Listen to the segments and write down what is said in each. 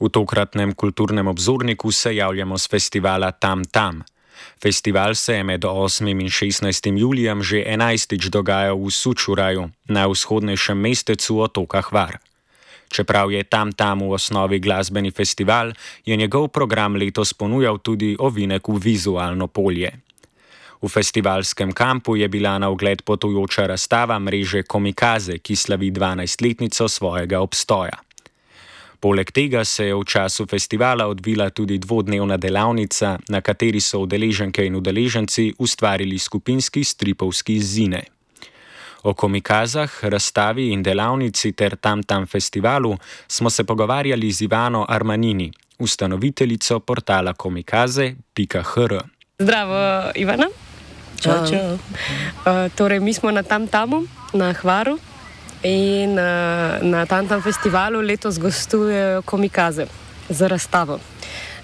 V tokratnem kulturnem obzorniku se javljamo z festivala Tam Tam. Festival se je med 8. in 16. julijem že 11. dogajal v Sučuraju, najvzhodnejšem mestecu otoka Hvar. Čeprav je Tam Tam v osnovi glasbeni festival, je njegov program letos ponujal tudi ovinek v vizualno polje. V festivalskem kampu je bila na ogled potujoča razstava mreže Komikaze, ki slavi 12-letnico svojega obstoja. Poleg tega se je v času festivala odvila tudi dvodnevna delavnica, na kateri so udeleženke in udeleženci ustvarili skupinski stripovski zine. O Komikazah, razstavi in delavnici ter Tam Tam festivalu smo se pogovarjali z Ivano Armanini, ustanoviteljico portala komikaze.hr. Zdravo, Ivana. Čau, čau. Torej, mi smo na Tam Tamu, na Hvaru. In na Tam Tam festivalu letos gostujejo Komikaze za razstavo.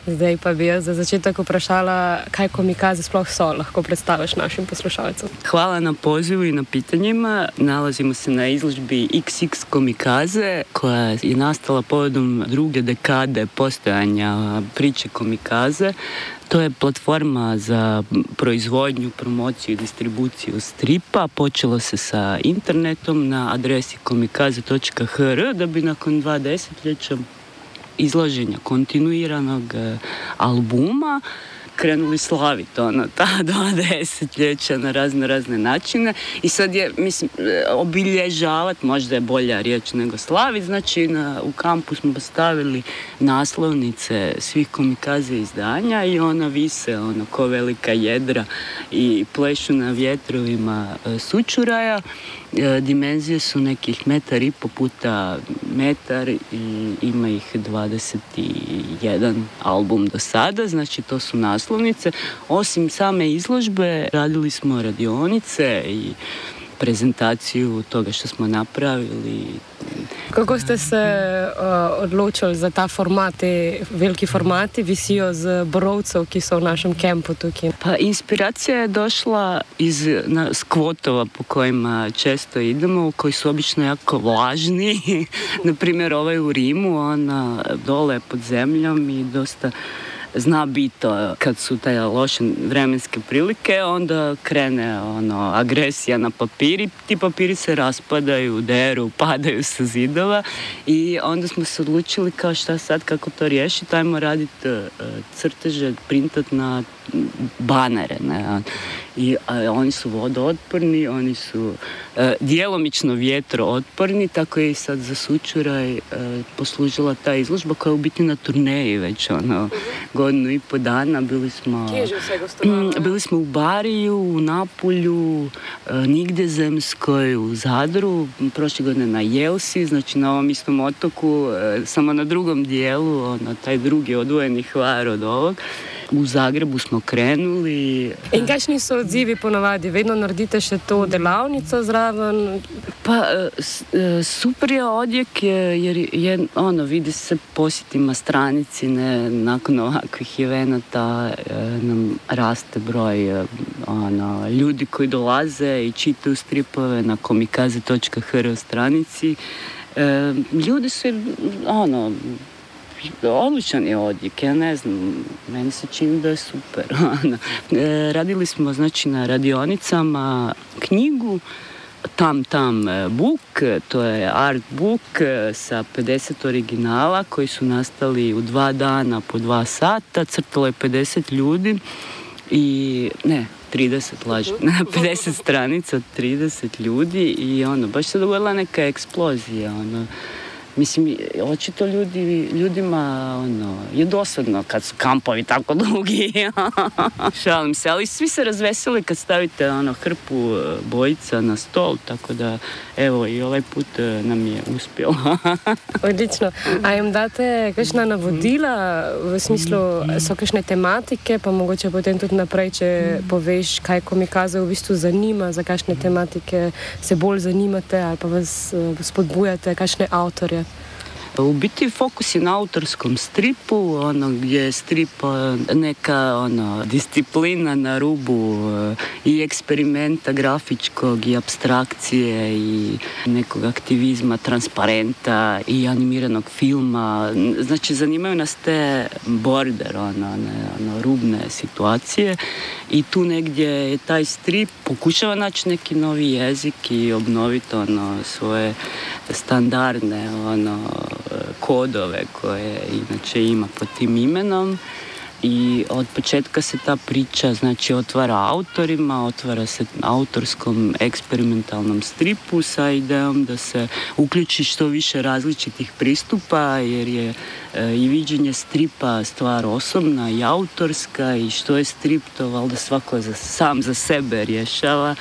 Zdaj pa bi jaz za začetek vprašala, kaj Komikaze sploh so, lahko predstaviš našim poslušalcem. Hvala na pozivu i na pitanjima. Nalazimo se na izložbi XX Komikaze, koja je nastala povodom druge dekade postojanja priče Komikaze. To je platforma za proizvodnju, promociju i distribuciju stripa. Počelo se sa internetom na adresi komikaze.hr da bi nakon 2 desetljeća izlaženja kontinuiranog albuma krenuli slaviti ta 2 desetljeća na razne načine. I sad je, mislim, obilježavati, možda je bolja riječ nego slaviti, znači u kampu smo postavili naslovnice svih Komikaze izdanja i ona vise ko velika jedra i plešu na vjetrovima Sučuraja. Dimenzije su nekih 1,5 puta metar i ima ih 21 album do sada, znači to su naslovnice. Osim same izložbe radili smo radionice i prezentaciju toga što smo napravili. Kako ste se odločili za ta format, te veliki formati visijo z borovcev, ki so v našem kampu tukaj? Pa inspiracija je došla iz skvotova po kojima često idemo, koji su obično jako vlažni. Naprimjer, ovaj u Rimu, ona dole pod zemljom i dosta zna biti kad su te loše vremenske prilike, onda krene agresija na papiri, ti papiri se raspadaju, deru, padaju sa zidova i onda smo se odlučili kao šta sad, kako to riješiti, ajmo raditi crteže, printat na banere, ne? I oni su vodootporni, oni su djelomično vjetrootporni, tako je i sad za Sučuraj poslužila ta izložba koja je u biti na turneji već 1,5 godinu dana. Bili smo u Bariju, u Napulju, Nigdezemskoj, u Zadru, prošle godine na Jelsi, znači na ovom istom otoku, samo na drugom dijelu, taj drugi odvojeni Hvar od ovog. V Zagrebu smo krenuli. In kakšni so odzivi ponavadi? Vedno naredite še to delavnico zraven? Pa super je odjek jer je, vidi se posjetima stranici, ne, nakon ovakvih evenata nam raste broj ljudi koji dolaze i čitaju stripove na komikaze.hr stranici. Ljudi su, odličan je odjek, ja ne znam, meni se čini da je super. Radili smo, znači, na radionicama knjigu Tam Tam book, to je art book sa 50 originala koji su nastali u 2 dana po 2 sata, crtalo je 50 ljudi i 30, lažem, 50 stranica, 30 ljudi i baš se dogodila neka eksplozija, Mislim, očito ljudima je dosadno kad su kampovi tako dugi. Šalim se, ali svi se razveseli kad stavite hrpu bojica na stol, tako da evo i ovaj put nam je uspjelo. Odlično. A jim date kakšna navodila v smislu, so kakšne tematike, pa mogoče potem tudi naprej, če poveš, kaj Komikaze v bistvu zanima, za kakšne tematike se bolj zanimate ali pa vas spodbujate, kakšne avtorje? U biti fokus je na autorskom stripu, gdje je strip neka disciplina na rubu i eksperimenta grafičkog i apstrakcije i nekog aktivizma, transparenta i animiranog filma. Znači, zanimaju nas te border, rubne situacije i tu negdje je taj strip pokušava naći neki novi jezik i obnoviti svoje standardne kodove koje inače ima pod tim imenom. I od početka se ta priča otvara autorima, otvara se autorskom eksperimentalnom stripu sa idejom da se uključi što više različitih pristupa, jer je i viđenje stripa stvar osobna i autorska i što je strip to valjda svako sam za sebe rješava.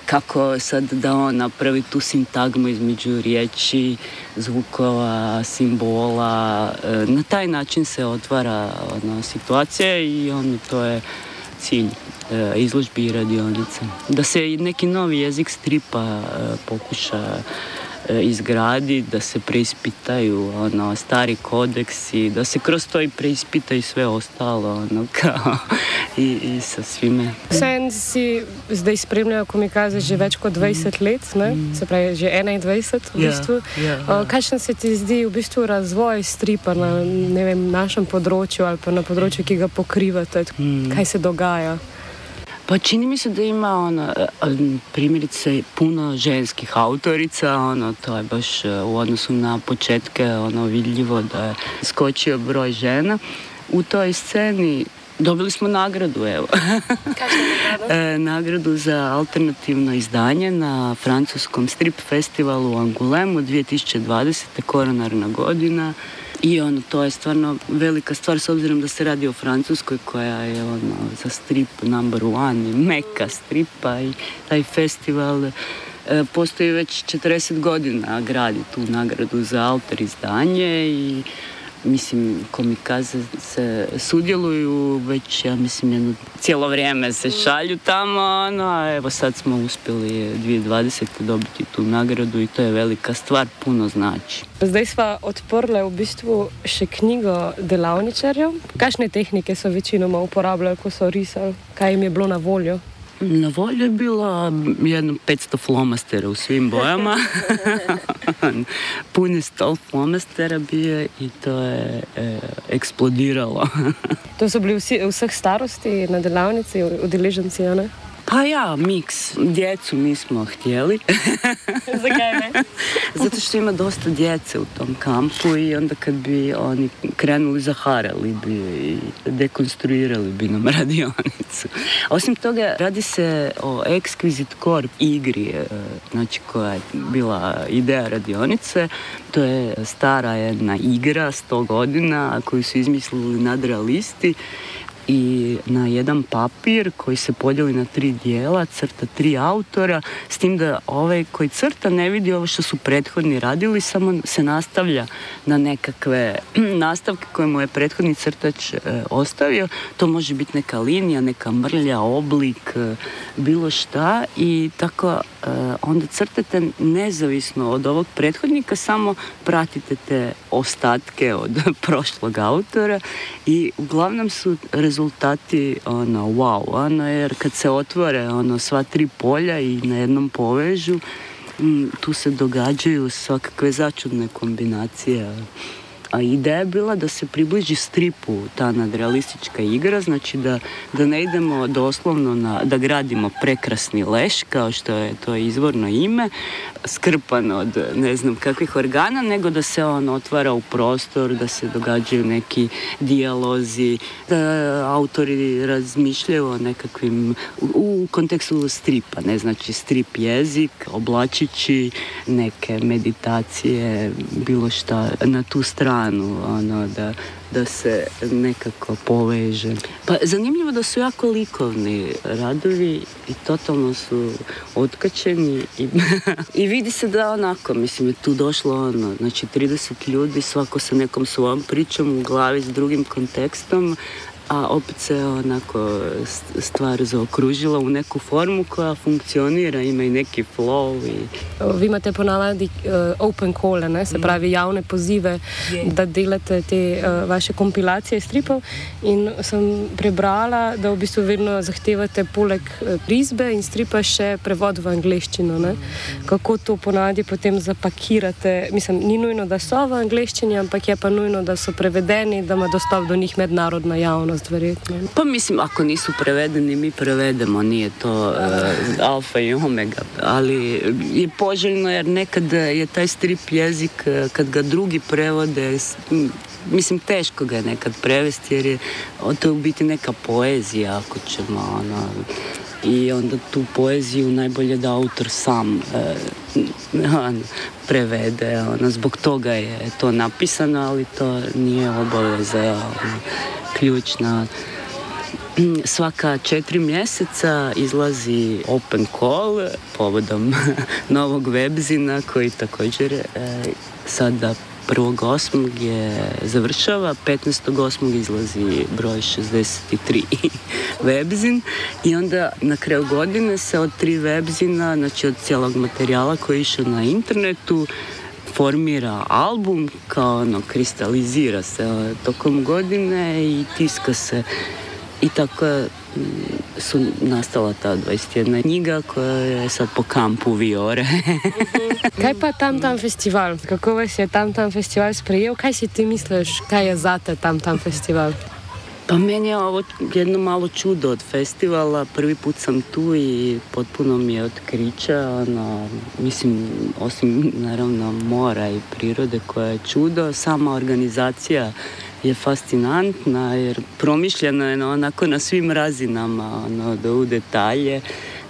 Kako sad da on napravi tu sintagmu između riječi, zvukova, simbola. Na taj način se otvara situacija i to je cilj izložbi i radionice. Da se neki novi jezik stripa pokuša izgradi, da se preispitaju stari kodeksi, da se kroz to i preispitaju sve ostalo kao i sa svime. Vseeno si zdaj spremljal komikaze že več kot 20 let, ne? Se pravi že 21 v bistvu. Kakšen se ti zdi v bistvu razvoj stripa na našem področju ali pa na področju, ki ga pokrivate? Kaj se dogaja? Pa čini mi se da ima primjerice puno ženskih autorica, to je baš u odnosu na početke vidljivo da je skočio broj žena. U toj sceni dobili smo nagradu, evo. Nagradu za alternativno izdanje na francuskom strip festivalu u Angulemu 2020. koronarna godina. I to je stvarno velika stvar s obzirom da se radi o Francuskoj koja je za strip number one i meka stripa i taj festival postoji već 40 godina, gradi tu nagradu za autor izdanje i mislim komikaze se sudjeluju već, ja mislim, cijelo vrijeme se šalju tamo, a evo sad smo uspjeli 2020. dobiti tu nagradu i to je velika stvar, puno znači. Zdaj sva odprli v bistvu še knjigo delavničarjev. Kakšne tehnike so večinoma uporabljali, ko so risali? Kaj jim je bilo na voljo? Na voljo je bilo jedno 500 flomastera u svim bojama. Puni stol flomastera bio i to je eksplodiralo. To su bili vseh starosti na delavnici, udeleženci, ne? Pa ja, miks. Djecu nismo htjeli. Zakaj ne? Zato što ima dosta djece u tom kampu i onda kad bi oni krenuli, zaharali bi i dekonstruirali bi nam radionicu. Osim toga, radi se o Exquisite Corp igri, znači koja je bila ideja radionice. To je stara jedna igra, 100 godina, koju su izmislili nadrealisti. I na jedan papir koji se podijeli na 3 dijela crta 3 autora, s tim da ovaj koji crta ne vidi ovo što su prethodni radili, samo se nastavlja na nekakve nastavke koje mu je prethodni crtač ostavio. To može biti neka linija, neka mrlja, oblik, bilo šta i tako onda crtate nezavisno od ovog prethodnika, samo pratite te ostatke od prošlog autora i uglavnom su rezultati wow, jer kad se otvore sva 3 polja i na jednom povežu, tu se događaju svakakve začudne kombinacije. A ideja je bila da se približi stripu ta nadrealistička igra, znači da ne idemo doslovno da gradimo prekrasni leš, kao što je to izvorno ime, skrpan od ne znam kakvih organa, nego da se on otvara u prostor, da se događaju neki dijalozi, da autori razmišljaju o nekakvim, u kontekstu stripa, ne znači strip jezik, oblačići neke meditacije, bilo šta na tu stranu, da se nekako poveže. Pa zanimljivo da su jako likovni radovi i totalno su otkačeni i vidi se da onako, mislim, je tu došlo znači 30 ljudi, svako sa nekom svojom pričom u glavi s drugim kontekstom a opet se onako stvar zaokružila u neku formu koja funkcionira, ima i neki flow. Vi imate ponavadi open call, ne? Se pravi javne pozive, da delate te vaše kompilacije stripov, in sem prebrala, da v bistvu vedno zahtevate poleg risbe in stripa še prevod v angleščino. Ne? Kako to ponavadi potem zapakirate? Mislim, ni nujno, da so v angleščini, ampak je pa nujno, da so prevedeni, da ima dostop do njih mednarodna javnost, verjetno. Pa mislim, ako nisu prevedeni, mi prevedemo, nije to alfa i omega, ali je poželjno jer nekad je taj strip jezik, kad ga drugi prevode, mislim, teško ga je nekad prevesti jer je to u biti neka poezija, ako ćemo, i onda tu poeziju najbolje da autor sam prevede, zbog toga je to napisano, ali to nije obaveza ključna. Svaka 4 mjeseca izlazi open call povodom novog webzina koji također sada 1.8. je završava, 15.8. izlazi broj 63 webzin i onda na kraju godine se od 3 webzina, znači od cijelog materijala koji je išao na internetu, formira album, kao kristalizira se tokom godine i tiska se. I tako su nastala ta 21 knjiga koja je sad po kampu Viore. Kaj pa Tam festival? Kako vas je Tam festival sprejel? Kaj si ti misliš, kaj je zate Tam festival? Pa meni je ovo jedno malo čudo od festivala. Prvi put sam tu i potpuno mi je otkrića. Mislim, osim naravno mora i prirode koja je čudo, sama organizacija je fascinantna jer promišljena je onako na svim razinama, da u detalje.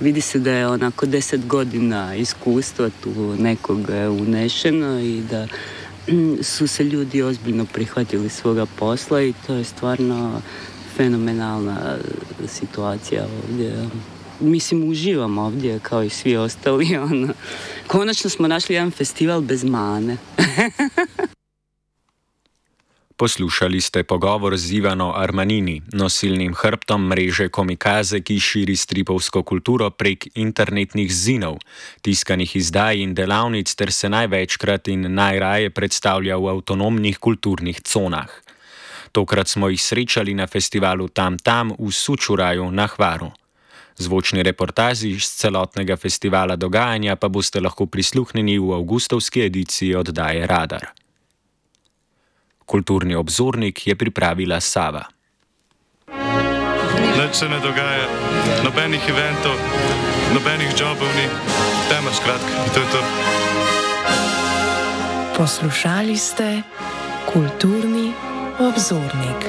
Vidi se da je onako 10 godina iskustva tu nekog unešeno i da su se ljudi ozbiljno prihvatili svoga posla i to je stvarno fenomenalna situacija ovdje. Mislim, uživam ovdje kao i svi ostali. Konačno smo našli jedan festival bez mane. Poslušali ste pogovor z Ivano Armanini, nosilnim hrbtom mreže Komikaze, ki širi stripovsko kulturo prek internetnih zinov, tiskanih izdaj in delavnic ter se največkrat in najraje predstavlja v avtonomnih kulturnih conah. Tokrat smo jih srečali na festivalu Tam v Sučuraju na Hvaru. Zvočni reportaži iz celotnega festivala dogajanja pa boste lahko prisluhnili v avgustovski ediciji oddaje Radar. Kulturni obzornik je pripravila Sava. Nič se ne dogaja, nobenih eventov, nobenih jobov ni, tema skratka, to je to. Poslušali ste Kulturni obzornik.